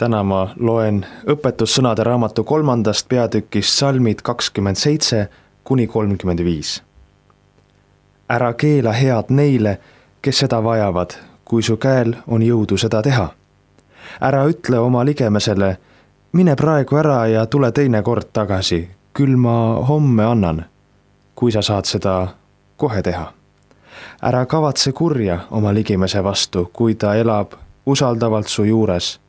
Täna ma loen õpetussõnade raamatu 3. peatükist salmid 27–35. Ära keela head neile, kes seda vajavad, kui su käel on jõudu seda teha. Ära ütle oma ligemesele, mine praegu ära ja tule teine kord tagasi, küll ma homme annan, kui sa saad seda kohe teha. Ära kavatse kurja oma ligimese vastu, kui ta elab usaldavalt su juures.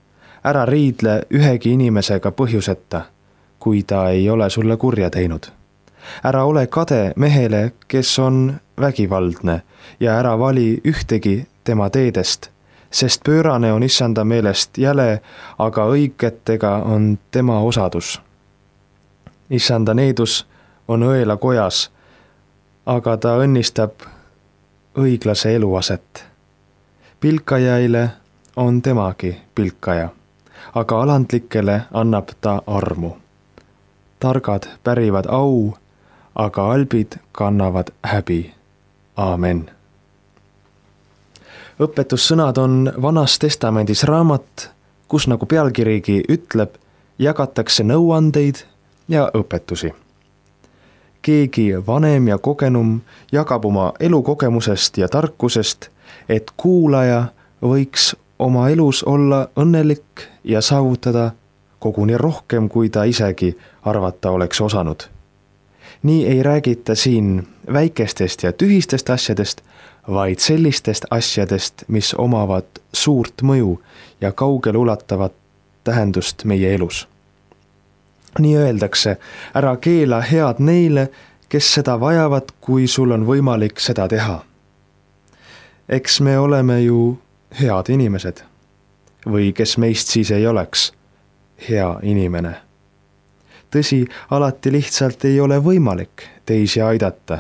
Ära riidle ühegi inimesega põhjuseta, kui ta ei ole sulle kurja teinud. Ära ole kade mehele, kes on vägivaldne, ja ära vali ühtegi tema teedest, sest pöörane on issanda meelest jäle, aga õigetega on tema osadus. Issanda needus on õela kojas, aga ta õnnistab õiglase eluaset. Pilkajaile on temagi pilkaja, aga alandlikele annab ta armu. Targad pärivad au, aga albid kannavad häbi. Aamen. Õpetussõnad on Vanas Testamendis raamat, kus nagu pealkirigi ütleb, jagatakse nõuandeid ja õpetusi. Keegi vanem ja kogenum jagab oma elukogemusest ja tarkusest, et kuulaja võiks oma elus olla õnnelik ja saavutada koguni rohkem, kui ta isegi arvata oleks osanud. Nii ei räägita siin väikestest ja tühistest asjadest, vaid sellistest asjadest, mis omavad suurt mõju ja kaugele ulatavat tähendust meie elus. Nii öeldakse, ära keela head neile, kes seda vajavad, kui sul on võimalik seda teha. Eks me oleme ju head inimesed. Või kes meist siis ei oleks hea inimene. Tõsi, alati lihtsalt ei ole võimalik teisi aidata.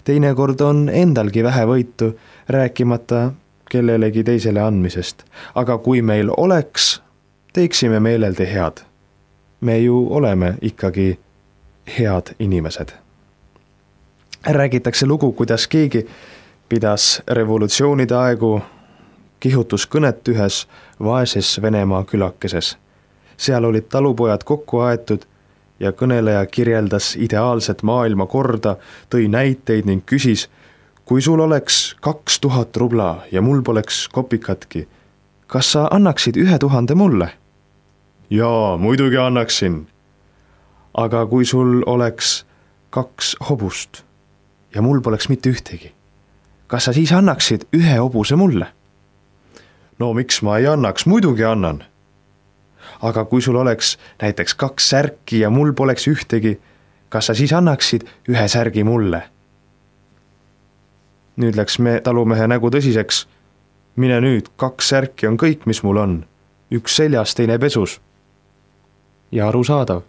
Teinekord on endalgi vähe võitu, rääkimata kellelegi teisele andmisest. Aga kui meil oleks, teeksime meeleldi head. Me ju oleme ikkagi head inimesed. Räägitakse lugu, kuidas keegi pidas revolutsioonide aegu kihutuskõnet ühes vaeses Venemaa külakeses. Seal olid talupojad kokku aetud ja kõneleja kirjeldas ideaalset maailmakorda, tõi näiteid ning küsis, kui sul oleks 2000 rubla ja mul poleks kopikatki, kas sa annaksid 1000 mulle? Jaa, muidugi annaksin. Aga kui sul oleks 2 hobust ja mul poleks mitte ühtegi, kas sa siis annaksid 1 hobuse mulle? No miks ma ei annaks, muidugi annan. Aga kui sul oleks näiteks 2 särki ja mul poleks ühtegi, kas sa siis annaksid 1 särgi mulle? Nüüd läks talumehe nägu tõsiseks. Mine nüüd, 2 särki on kõik, mis mul on. 1 seljas, teine pesus. Ja arusaadav.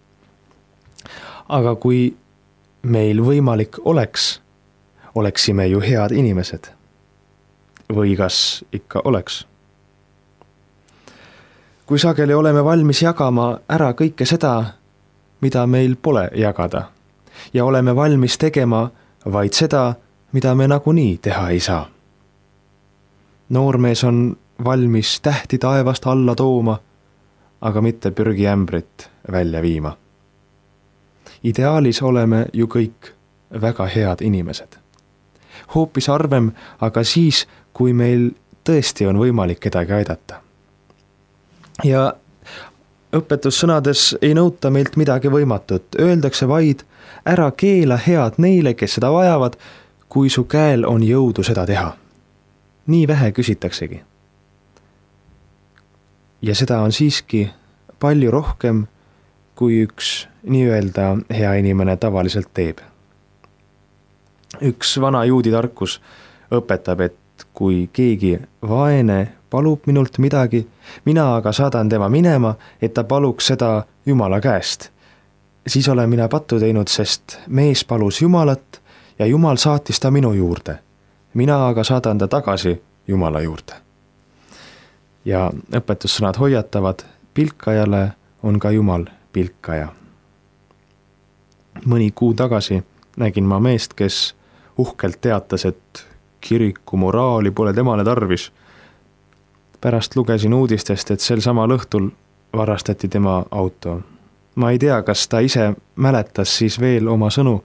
Aga kui meil võimalik oleks, oleksime ju head inimesed. Või kas ikka oleks? Kui sageli oleme valmis jagama ära kõike seda, mida meil pole jagada, ja oleme valmis tegema vaid seda, mida me nagunii teha ei saa. Noormees on valmis tähti taevast alla tooma, aga mitte prügiämbrit välja viima. Ideaalis oleme ju kõik väga head inimesed. Hoopis harvem, aga siis, kui meil tõesti on võimalik kedagi aidata. Ja õpetussõnades ei nõuta meilt midagi võimatut. Öeldakse vaid, ära keela head neile, kes seda vajavad, kui su käel on jõudu seda teha. Nii vähe küsitaksegi. Ja seda on siiski palju rohkem, kui üks nii-öelda hea inimene tavaliselt teeb. Üks vana juudi tarkus õpetab, et kui keegi vaene palub minult midagi, mina aga saadan tema minema, et ta paluks seda Jumala käest. Siis olen mina pattu teinud, sest mees palus Jumalat ja Jumal saatis ta minu juurde. Mina aga saadan ta tagasi Jumala juurde. Ja õpetussõnad hoiatavad, pilkajale on ka Jumal pilkaja. Mõni kuu tagasi nägin ma meest, kes uhkelt teatas, et kiriku moraali pole temale tarvis. Pärast lugesin uudistest, et sel samal õhtul varastati tema auto. Ma ei tea, kas ta ise mäletas siis veel oma sõnu.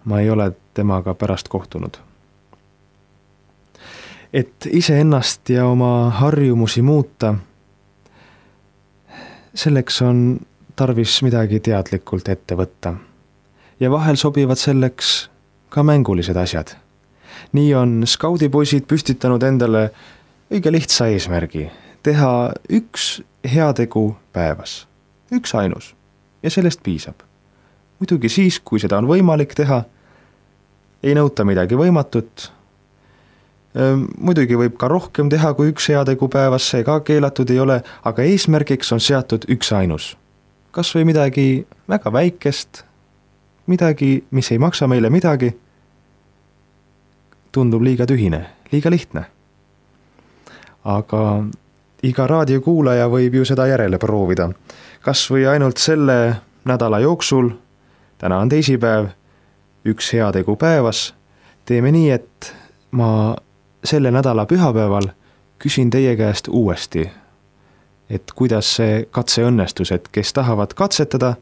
Ma ei ole temaga pärast kohtunud. Et iseennast ja oma harjumusi muuta, selleks on tarvis midagi teadlikult ette võtta. Ja vahel sobivad selleks ka mängulised asjad. Nii on skaudipoisid püstitanud endale õige lihtsa eesmärgi. Teha üks heategu päevas. Üks ainus. Ja sellest piisab. Muidugi siis, kui seda on võimalik teha, ei nõuta midagi võimatut. Muidugi võib ka rohkem teha kui üks heategu päevas, see ka keelatud ei ole, aga eesmärgiks on seatud üks ainus. Kas või midagi väga väikest, midagi, mis ei maksa meile midagi, tundub liiga tühine, liiga lihtne. Aga iga raadiokuulaja võib ju seda järele proovida. Kas või ainult selle nädala jooksul, täna on teisipäev, üks heategu päevas, teeme nii, et ma selle nädala pühapäeval küsin teie käest uuesti, et kuidas see katse õnnestus, et kes tahavad katsetada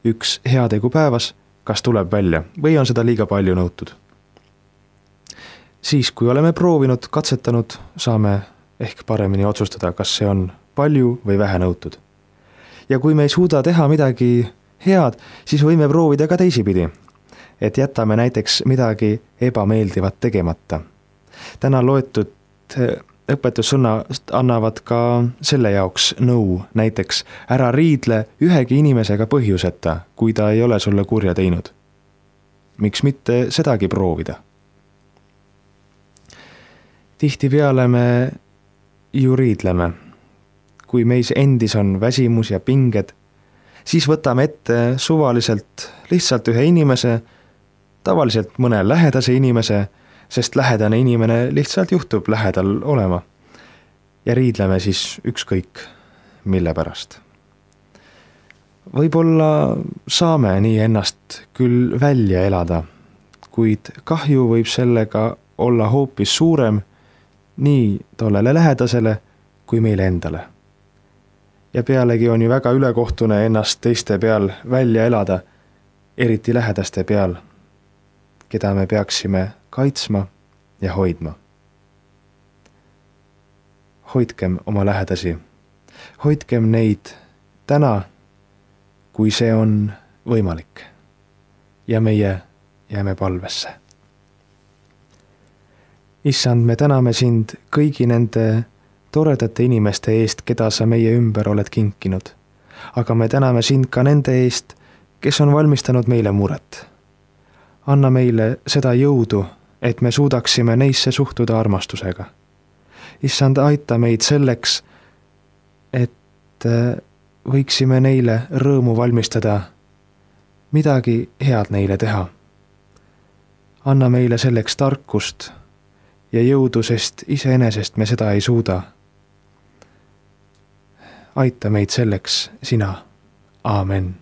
üks heategu päevas, kas tuleb välja või on seda liiga palju nõutud. Siis, kui oleme proovinud, katsetanud, saame ehk paremini otsustada, kas see on palju või vähe nõutud. Ja kui me ei suuda teha midagi head, siis võime proovida ka teisipidi, et jätame näiteks midagi ebameeldivat tegemata. Täna loetud õpetussõnad annavad ka selle jaoks nõu, näiteks ära riidle ühegi inimesega põhjuseta, kui ta ei ole sulle kurja teinud. Miks mitte sedagi proovida? Tihtipeale me ju riidleme. Kui meis endis on väsimus ja pinged, siis võtame ette suvaliselt lihtsalt ühe inimese, tavaliselt mõne lähedase inimese, sest lähedane inimene lihtsalt juhtub lähedal olema. Ja riidleme siis ükskõik, mille pärast. Võib-olla saame nii ennast küll välja elada, kuid kahju võib sellega olla hoopis suurem nii tollele lähedasele kui meile endale. Ja pealegi on ju väga ülekohtune ennast teiste peal välja elada, eriti lähedaste peal, keda me peaksime kaitsma ja hoidma. Hoidkem oma lähedasi. Hoidkem neid täna, kui see on võimalik. Ja meie jääme palvesse. Issand, me täname sind kõigi nende toredate inimeste eest, keda sa meie ümber oled kinkinud. Aga me täname sind ka nende eest, kes on valmistanud meile muret. Anna meile seda jõudu, et me suudaksime neisse suhtuda armastusega. Issand, aita meid selleks, et võiksime neile rõõmu valmistada, midagi head neile teha. Anna meile selleks tarkust ja jõudu, sest iseenesest me seda ei suuda. Aita meid selleks sina. Aamen.